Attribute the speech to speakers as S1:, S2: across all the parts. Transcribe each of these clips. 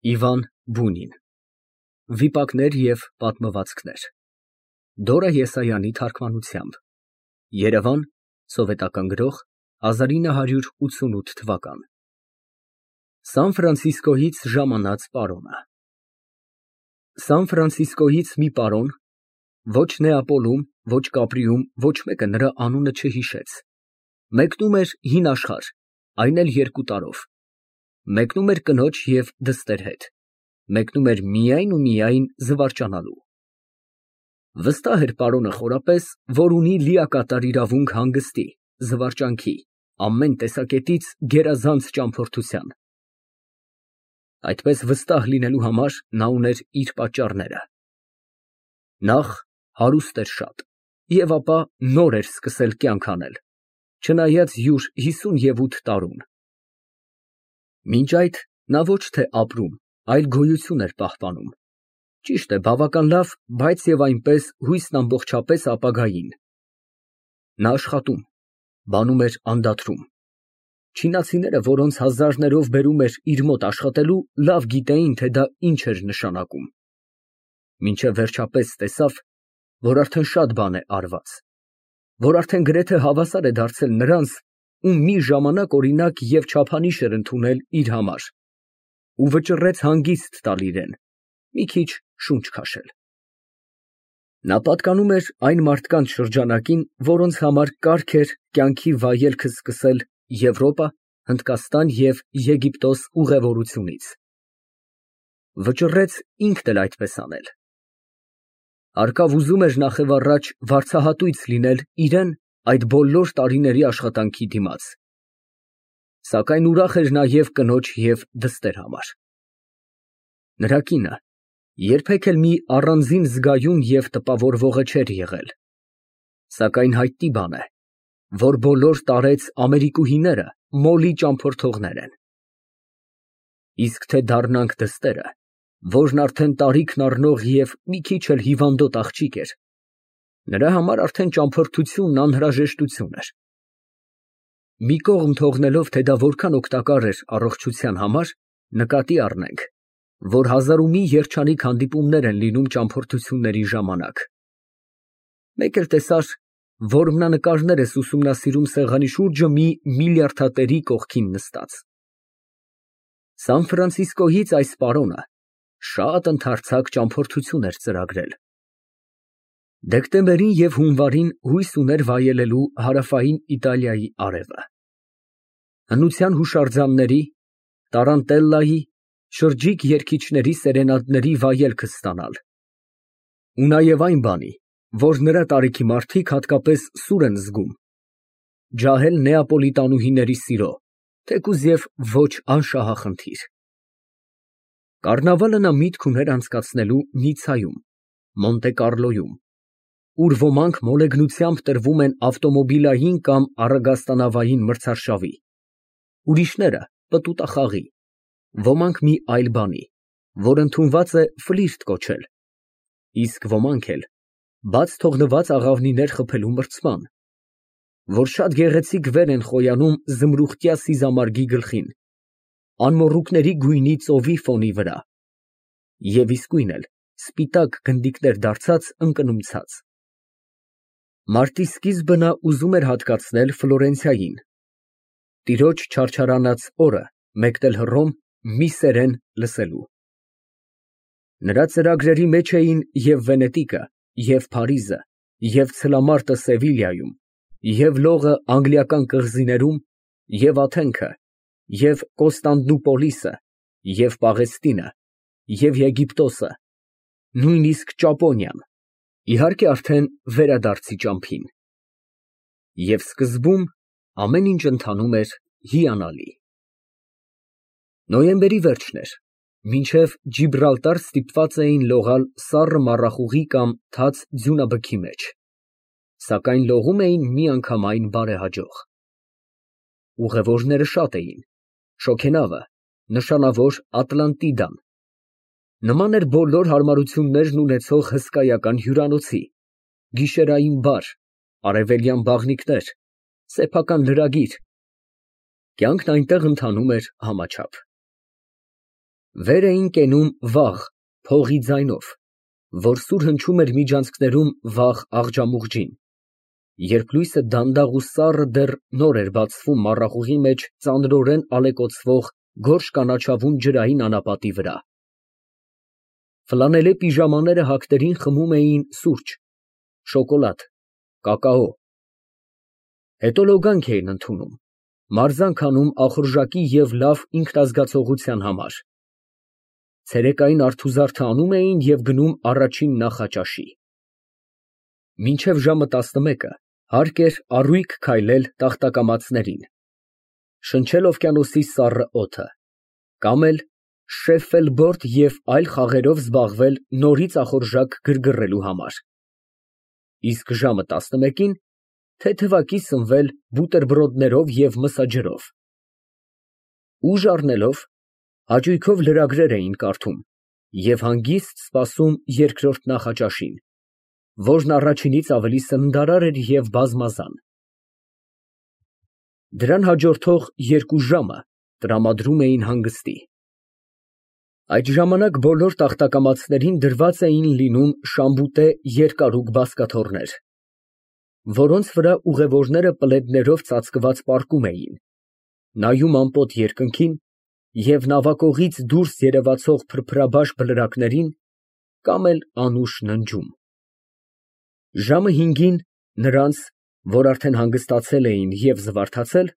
S1: Իվան Բունին Վիպակներ և պատմվածքներ Դորա Եսայանի թարգմանությամբ Երևան Սովետական Գրող 1988 Սան Ֆրանցիսկոյից ժամանած պարոնը Սան Ֆրանցիսկոյից մի պարոն, ոչ Նեապոլում, ոչ Կապրիում, ոչ մեկը նրա անունը չհիշեց, մեկնում էր հին աշխարհ, այն էլ 2 տարով, մեկնում էր կնոջ և դստեր հետ, մեկնում էր միայն ու միայն զվարճանալու։ Վստահ էր պարոնը խորապես, որ ունի լիակատար իրավունք հանգստի, զվարճանքի, ամեն տեսակետից գերազանց ճամփորդության։ Այդպես վստահ լինելու համար նա ուներ իր պատճառները։ Նախ հարուստ էր շատ և ապա նոր էր սկսել կյանք անել, չնայած յուր 58 տարուն։ Մինչ այդ նա ոչ թե ապրում, այլ գոյություն էր պահպանում, ճիշտ է, բավական լավ, բայց և այնպես հույսն ամբողջապես ապագային։ Նա աշխատում, բանում էր անդադրում։ Չինացիները, որոնց հազարներով բերում էր իր մոտ աշխատելու, լավ գիտեին, թե դա ինչ էր նշանակում։ Մինչև վերջապես տեսավ, որ արդեն շատ բան է արված, որ արդեն գրեթե հավասար է դարձել նրանց, ում մի ժամանակ օրինակ և չափանիշ էր ընդունել իր համար, ու վճռեց հանգիստ տալ իրան, մի քիչ շունչ քաշել։ Նա պատկանում էր այն մարդկանց շրջանակին, որոնց համար կարգ էր կյանքի վայելքը սկսել Եվրոպա, Հնդկաստան և Եգիպտոս ուղևորությունից։ Վճռեց ինքն էլ այդպես անել։ Հարկավ ուզում էր նախևառաջ վարձահատույց լինել իրան այդ բոլոր տարիների աշխատանքի դիմաց, սակայն ուրախ էր նաև կնոջ և դստեր համար։ Նրա կինը երբեք էլ մի առանձին զգայուն և տպավորվողը չէր եղել, սակայն հայտնի բան է, որ բոլոր տարեց ամերիկուհիները մոլի ճամփորդողներ են։ Իսկ թե դառնանք դստերը, որն արդեն տարիքն առնող և մի քիչ էլ հիվանդոտ աղջիկ էր, նրա համար արդեն ճամփորդությունն անհրաժեշտություն էր։ Մի կողմ թողնելով, թե դա որքան օգտակար էր առողջության համար, նկատի առնենք, որ հազար ու մի երջանիկ հանդիպումներ են լինում ճամփորդությունների ժամանակ։ Մեկ էլ տեսար, որմնանկարներ ես ուսումնասիրում սեղանի շուրջը մի միլիարդատերի կողքին նստած։ Սան Ֆրանցիսկոյից այս պարոնը շատ ընդարձակ ճամփորդություն էր ծրագրել։ Դեկտեմբերին և հունվարին հույս ուներ վայելելու հարավային Իտալիայի արևը։ Հնության հուշարձանների, տարանտելլայի, շրջիկ երգիչների սերենադների վայելքը ստանալ։ Ու նաև այն բանի, որ նրա տարիքի մարդիկ հատկապես սուր են զգում, ջահել նեապոլիտանուհիների սիրո, թեկուզ և ոչ անշահախնդիր։ Կառնավալը նա միտք ուներ անցկացնելու Նիցայում, Մոնտե Կառլոյում, ուր ոմանք մոլեգնությամբ տրվում են ավտոմոբիլային կամ առագաստանավային մրցարշավի, ուրիշները պտուտախաղի, ոմանք մի այլ բանի, որ ընդունված է ֆլիրտ կոչել, իսկ ոմանք էլ բաց թողնված աղավնիներ խփելու մրցման, որ շատ գեղեցիկ վեր են խոյանում զմրուխտյա սիզամարգի գլխին, անմոռուկների գույնի ծովի ֆոնի վրա, և իսկույն էլ սպիտակ գնդիկներ դարձած ընկնումցած։ Մարտի սկիզբը նա ուզում էր հատկացնել Ֆլորենցիային, տիրոջ չարչարանած օրը մեկնել Հռոմ մի սերեն լսելու։ Նրա ծրագրերի մեջ էին և Վենետիկը, և Փարիզը, և ցլամարտը Սևիլյայում, և լողը անգլիական կղզիներում, և Աթենքը, և Կոստանդնուպոլիսը, և Պաղեստինը, և Եգիպտոսը, նույնիսկ Ճապոնիան, իհարկե արդեն վերադարձի ճամփին։ Եվ սկզբում ամեն ինչ ընթանում էր հիանալի։ Նոյեմբերի վերջն էր, մինչև Ջիբրալտար ստիպված էին լողալ սառը մառախուղի կամ թաց ձյունաբքի մեջ, սակայն լողում էին միանգամայն բարեհաջող։ Ուղևորները շատ էին, շոգենավը, նշանավոր Ատլանտիդան, նման էր բոլոր հարմարություններն ունեցող հսկայական հյուրանոցի, գիշերային բար, արևելյան բաղնիքներ, սեփական լրագիր, կյանքն այնտեղ ընթանում էր համաչափ։ Վեր էին կենում վաղ, փողի ձայնով, որ սուր հնչում էր միջանցքներում վաղ աղջամուղջին, երբ լույսը դանդաղ ու սառը դեռ նոր էր բացվում մառախուղի մեջ ծանրորեն ալեկոծվող գորշ կանաչավուն ջրային անապատի վրա։ Ֆլանելե պիժամաները հագներին խմում էին սուրճ, շոկոլադ, կակաո։ Հետո լոգանք էին ընդունում, մարզանք անում ախորժակի և լավ ինքնազգացողության համար։ Ցերեկային արթուզարդը անում էին և գնում առաջին նախաճաշի։ Մինչև ժամը 11-ը հարկ էր առույգ քայլել տախտակամածներին, շնչել օվկիանոսի սառը օդը, կամ էլ շեֆֆելբորդ և այլ խաղերով զբաղվել նորից ախորժակ գրգռելու համար, իսկ ժամը 11-ին թեթևակի սնվել բուտերբրոդներով և մսաջրով։ Ուժ առնելով, հաճույքով լրագրեր էին կարդում և հանգիստ սպասում երկրորդ նախաճաշին, որն առաջինից ավելի սննդարար էր և բազմազան։ Դրան հաջորդող 2 ժամը տրամադրում էին հանգստի։ Այդ ժամանակ բոլոր տախտակամածներին դրված էին լինում շամբուտե երկարուկ բազկաթոռներ, որոնց վրա ուղևորները պլեդներով ծածկված պառկում էին, նայում անպոտ երկնքին և նավակողից դուրս երևացող փրփրաբաշ բլրակներին կամ էլ անուշ ննջում։ Ժամը 5-ին նրանց, որ արդեն հանգստացել էին և զվարթացել,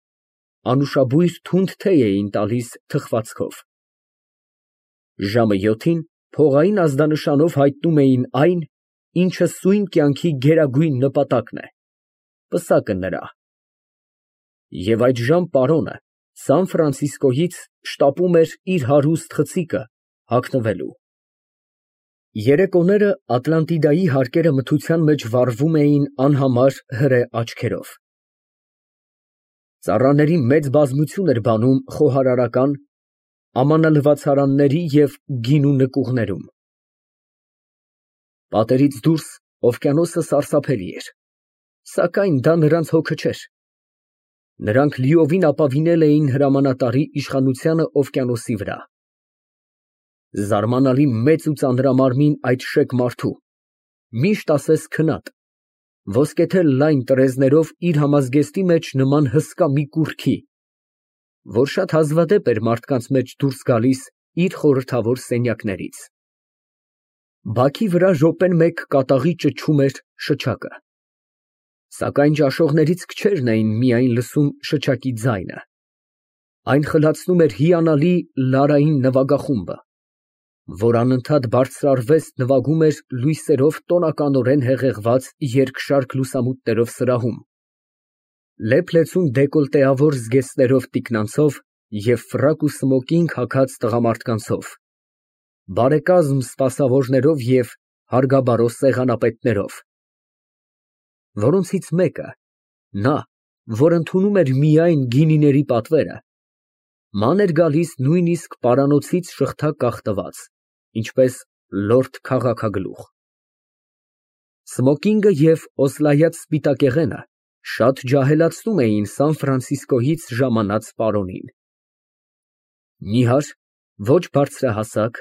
S1: անուշաբույր թունդ թեյ էին տալիս թխվածքով։ Ժամը 7-ին փողային ազդանշանով հայտնում էին այն, ինչը սույն կյանքի գերագույն նպատակն է, պսակը նրա։ Եվ այդժամ պարոնը Սան Ֆրանցիսկոյից շտապում էր իր հարուստ խցիկը հագնվելու։ Երեկոները Ատլանտիդայի հարկերը մթության մեջ վառվում էին անհամար հրե աչքերով։ Ծառաների մեծ բազմություն էր բանում խոհարարական, ամանալվացարանների և գինու նկուղներում։ Պատերից դուրս օվկիանոսը սարսափելի էր, սակայն դա նրանց հոգը չէր։ Նրանք լիովին ապավինել էին հրամանատարի իշխանությանը օվկիանոսի վրա։ Զարմանալի մեծ ու ծանրամարմին այդ շեկ մարդու, միշտ ասես քնած, ոսկեթել լայն տռեզներով իր համազգեստի մեջ նման հսկա մի կուռքի, որ շատ հազվադեպ էր մարդկանց մեջ դուրս գալիս իր խորհրդավոր սենյակներից։ Բաքի վրա րոպեն մեկ կատաղի ճչում էր շչակը, սակայն ճաշողներից քչերն էին միայն լսում շչակի ձայնը, այն խլացնում էր հիանալի լարային նվագախումբը, որ անընդհատ բարձրարվեստ նվագում էր լույսերով տոնականորեն հեղեղված երկշարք լուսամուտներով սրահում, լեփ֊լեցուն դեկոլտեավոր զգեստներով տիկնանցով և ֆրակ ու սմոկինգ հագած տղամարդկանցով, բարեկազմ սպասավորներով և հարգաբարո սեղանապետներով, որոնցից մեկը, նա, որ ընդունում էր միայն գինիների պատվերը, ման էր գալիս նույնիսկ պարանոցից շղթա կախտված, ինչպես լորդ քաղաքագլուխ։ Սմոկինգը և օսլայած սպիտակեղենը շատ ջահելացնում էին Սան Ֆրանցիսկոյից ժամանած պարոնին։ Նիհար, ոչ բարձրահասակ,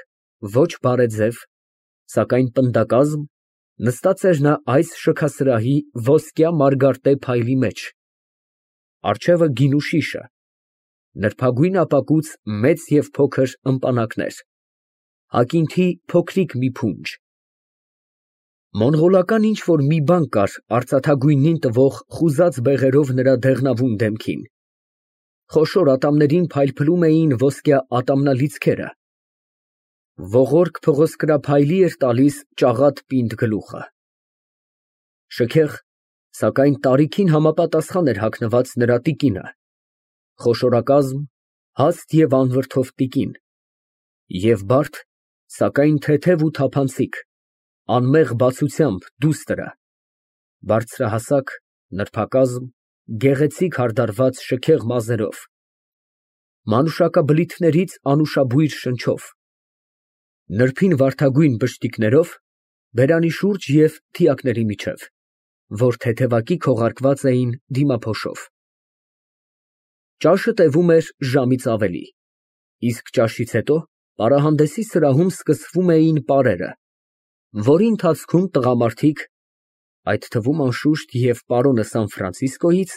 S1: ոչ բարեձև, սակայն պնդակազմ, նստած էր նա այս շքասրահի ոսկյա մարգարտե փայլի մեջ, առջևը գինու շիշը, նրբագույն ապակուց մեծ և փոքր ըմպանակներ, ակինթի փոքրիկ մի փունջ։ Մոնղոլական ինչ֊որ մի բան կար արծաթագույնին տվող խուզած բեղերով նրա դեղնավուն դեմքին, խոշոր ատամներին փայլփլում էին ոսկյա ատամնալիցքերը, ողորկ փղոսկրափայլի էր տալիս ճաղատ պինդ գլուխը։ Շքեղ, սակայն տարիքին համապատասխան էր հագնված նրա տիկինը, խոշորակազմ, հաստ և անվրդով տիկին, և բարդ, սակայն թեթև ու թափանցիկ, անմեղ բացությամբ դուստրը, բարձրահասակ, նրբակազմ, գեղեցիկ հարդարված շքեղ մազերով, մանուշակաբլիթներից անուշաբույր շնչով, նրբին վարդագույն բշտիկներով, բերանի շուրջ և թիակների միջև, որ թեթևակի քողարկված էին դիմափոշով։ Ճաշը տևում էր ժամից ավելի, իսկ ճաշից հետո Պարահանդեսի սրահում սկսվում էին պարերը, որի ընթացքում տղամարդիկ, այդ թվում անշուշտ և պարոնը Սան Ֆրանցիսկոից,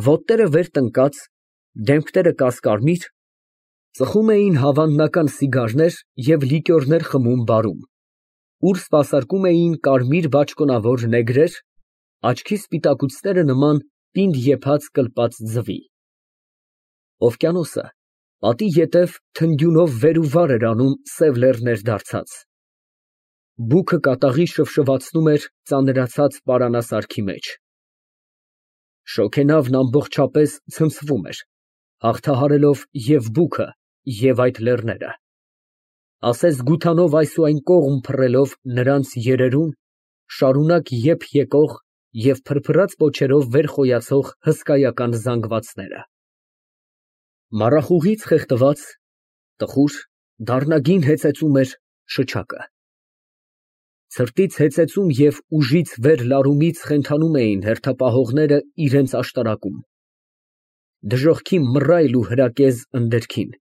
S1: ոտները վեր տնկած, դեմքները կասկարմիր, ծխում էին հավանական սիգարներ և լիկյորներ խմում բարում, ուր սպասարկում էին կարմիր բաճկոնավոր նեգրեր, աչքի սպիտակուցները նման պինդ եփած կլպած ձվի։ Օվկիանոսը պատի ետև թնդյունով վեր ու վար էր անում սև լեռներ դարձած։ Բուքը կատաղի շվշվացնում էր ծանրացած պարանասարքի մեջ։ Շոգենավն ամբողջապես ցնցվում էր, հաղթահարելով և բուքը, և այդ լեռները, ասես գութանով այս ու այն կողմ փռելով նրանց երերուն, շարունակ եփ եկող և փրփրած պոչերով վեր խոյացող հսկայական զանգվածները։ Մառախուղից խեղդված, տխուր, դառնագին հեծեծում էր շչակը։ Ցրտից հեծեծում և ուժից վեր լարումից խենթանում էին հերթապահողները իրենց աշտարակում։ Դժոխքի մռայլ ու հրակեզ ընդերքին,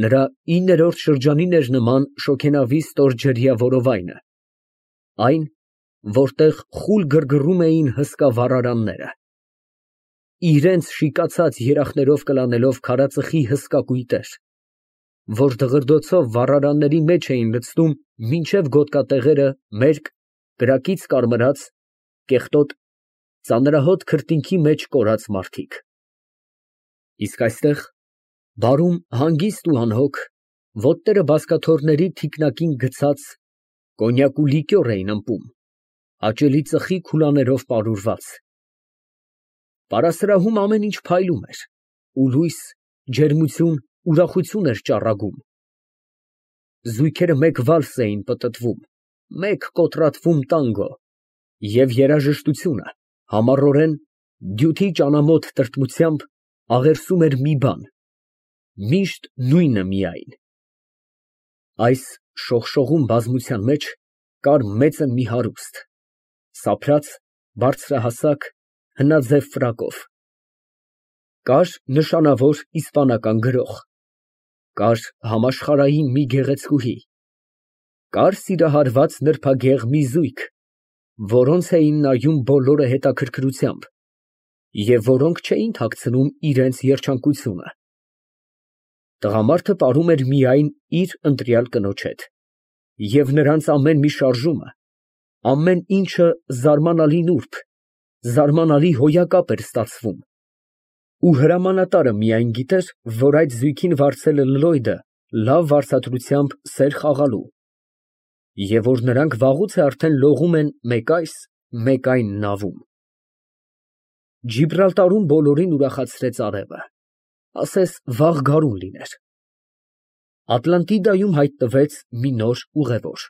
S1: նրա 9-րդ շրջանին էր նման շոգենավի ստորջրյա որովայնը, այն, որտեղ խուլ գրգռում էին հսկա վառարանները, իրենց շիկացած երախներով կլանելով քարածխի հսկա կույտեր, որ դղրդոցով վառարանների մեջ էին լցնում մինչև գոտկատեղերը մերկ, կրակից կարմրած, կեղտոտ, ծանրահոտ քրտինքի մեջ կորած մարդիկ։ Իսկ այստեղ, բարում հանգիստ ու անհոգ, ոտները բազկաթոռների թիկնակին գցած, կոնյակ ու լիկյոր էին ըմպում, հաճելի ծխի քուլաներով պարուրված։ Պարասրահում ամեն ինչ փայլում էր, ու լույս, ջերմություն, ուրախություն էր ճառագում։ Զույգերը մեկ վալս էին պտտվում, մեկ կոտրատվում տանգո, և երաժշտությունը համառորեն, դյութի ճանամոթ տրտմությամբ աղերսում էր մի բան, միշտ նույնը միայն։ Այս շողշողուն բազմության մեջ կար մեծն մի հարուստ, սափրած, բարձրահասակ, հնաձև ֆրակով, կար նշանավոր իսպանական գրող, կար համաշխարհային մի գեղեցկուհի, կար սիրահարված նրբագեղ մի զույգ, որոնց էին նայում բոլորը հետաքրքրությամբ և որոնք չէին թաքցնում իրենց երջանկությունը։ Տղամարդը պարում էր միայն իր ընտրյալ կնոջ հետ, և նրանց ամեն մի շարժումը, ամեն ինչը զարմանալի նուրբ, զարմանալի հոյակապ էր ստացվում, ու հրամանատարը միայն գիտեր, որ այդ զույգին վարձել է Լլոյդը լավ վարձատրությամբ սեր խաղալու, և որ նրանք վաղուց է արդեն լողում են մեկ այս, մեկ այն նավում։ Ջիբրալտարում բոլորին ուրախացրեց արևը, ասես վաղ գարուն լիներ։ Ատլանտիդայում հայտնվեց մի նոր ուղևոր,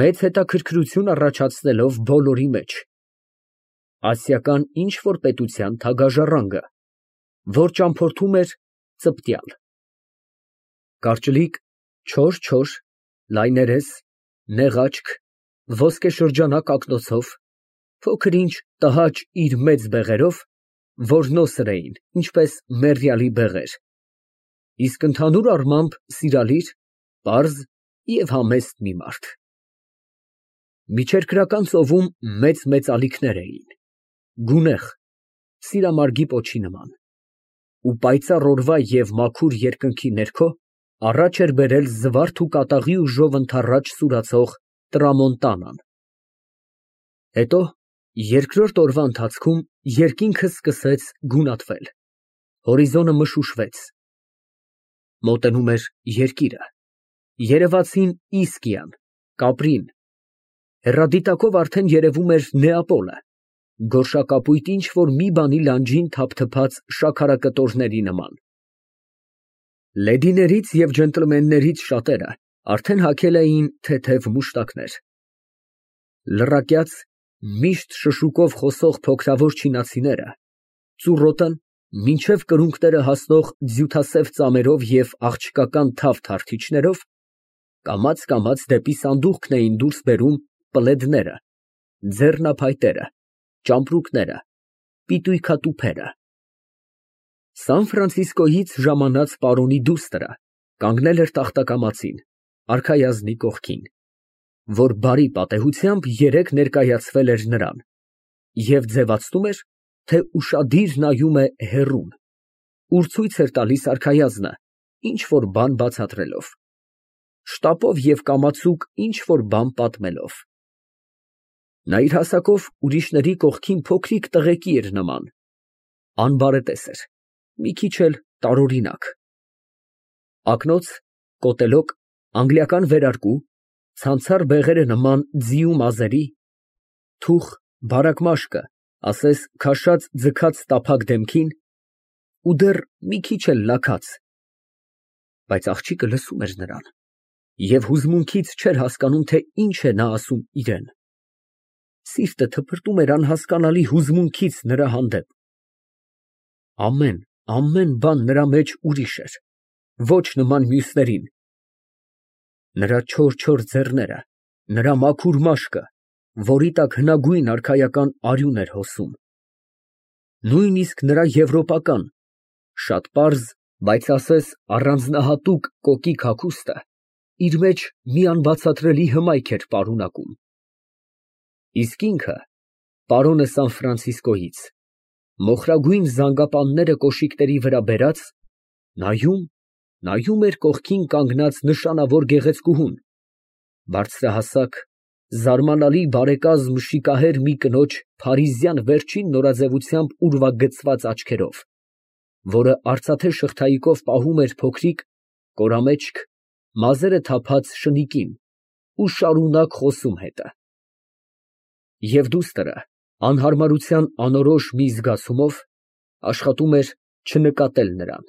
S1: մեծ հետաքրքրություն առաջացնելով բոլորի մեջ, ասիական ինչ֊որ պետության թագաժառանգը, որ ճամփորդում էր ծպտյալ, կարճլիկ, չոր, լայներես, նեղ աչք, ոսկեշրջանակ ակնոցով, փոքր ինչ տհաճ իր մեծ բեղերով, որ նոսր էին, ինչպես մեռյալի բեղեր, իսկ ընդհանուր առմամբ սիրալիր, պարզ և համեստ մի մարդ։ Միջերկրական ծովում մեծ ալիքներ էին, գունեղ, սիրամարգի պոչի նման, ու պայծառ օրվա և մաքուր երկնքի ներքո առաջ էր բերել զվարթ ու կատաղի ուժով ընդառաջ սուրացող տրամոնտանան։ Հետո երկրորդ օրվա ընթացքում երկինքը սկսեց գունատվել, հորիզոնը մշուշվեց, մոտենում էր երկիրը, երևացին Իսկիան, Կապրին, հեռադիտակով արդեն երևում էր Նեապոլը, գորշակապույտ ինչ֊որ մի բանի լանջին թափթփած շաքարակտորների նման։ Լեդիներից և ջենտլմեններից շատերը արդեն հագել էին թեթև մուշտակներ։ Լռակյաց, միշտ շշուկով խոսող փոքրավոր չինացիները, ծուռոտն մինչև կրունկները հասնող ձյութասև ծամերով և աղջկական թավ թարթիչներով, կամաց դեպի սանդուղքն էին դուրս բերում պլեդները, ձեռնափայտերը, ճամպրուկները, պիտույքատուփերը։ Սան Ֆրանցիսկոյից ժամանած պարոնի դուստրը Կանգնել էր տախտակամածին, արքայազնի կողքին, որ բարի պատեհությամբ երեկ ներկայացվել էր նրան, և ձևացնում էր, թե ուշադիր նայում է հեռուն, ուր ցույց էր տալիս արքայազնը ինչ֊որ բան բացատրելով, շտապով և կամացուկ ինչ֊որ բան պատմելով։ Նա իր հասակով ուրիշների կողքին փոքրիկ տղեկի էր նման, անբարետես էր, մի քիչ էլ տարօրինակ։ Ակնոց, կոտելոկ, անգլիական վերարկու, ցանցառ բեղերը նման ձիու մազերի, թուխ, բարակ մաշկը, ասես քաշած ձգած տափակ դեմքին ու դեռ մի քիչ էլ լաքած, բայց աղջիկը լսում էր նրան և հուզմունքից չէր հասկանում, թե ինչ է նա ասում իրան, սիրտը թփրտում էր անհասկանալի հուզմունքից նրա հանդեպ, ամեն բան նրա մեջ ուրիշ էր, ոչ նման մյուսներին, նրա չոր ձեռները, նրա մաքուր մաշկը, որի տակ հնագույն արքայական արյուն էր հոսում, նույնիսկ նրա եվրոպական, շատ պարզ, բայց ասես առանձնահատուկ կոկիկ հագուստը իր մեջ մի անբացատրելի հմայք էր պարունակում։ Իսկ ինքը, պարոնը Սան Ֆրանցիսկոյից, մոխրագույն զանգապանները կոշիկների վրա բերած, նայում էր կողքին կանգնած նշանավոր գեղեցկուհուն, բարձրահասակ, զարմանալի բարեկազմ շիկահեր մի կնոջ փարիզյան վերջին նորաձևությամբ ուրվագծված աչքերով, որը արծաթե շղթայիկով պահում էր փոքրիկ, կորամեջք, մազերը թափած շնիկին ու շարունակ խոսում հետը։ Եվ դուստրը, անհարմարության անորոշ մի զգացումով, աշխատում էր չնկատել նրան։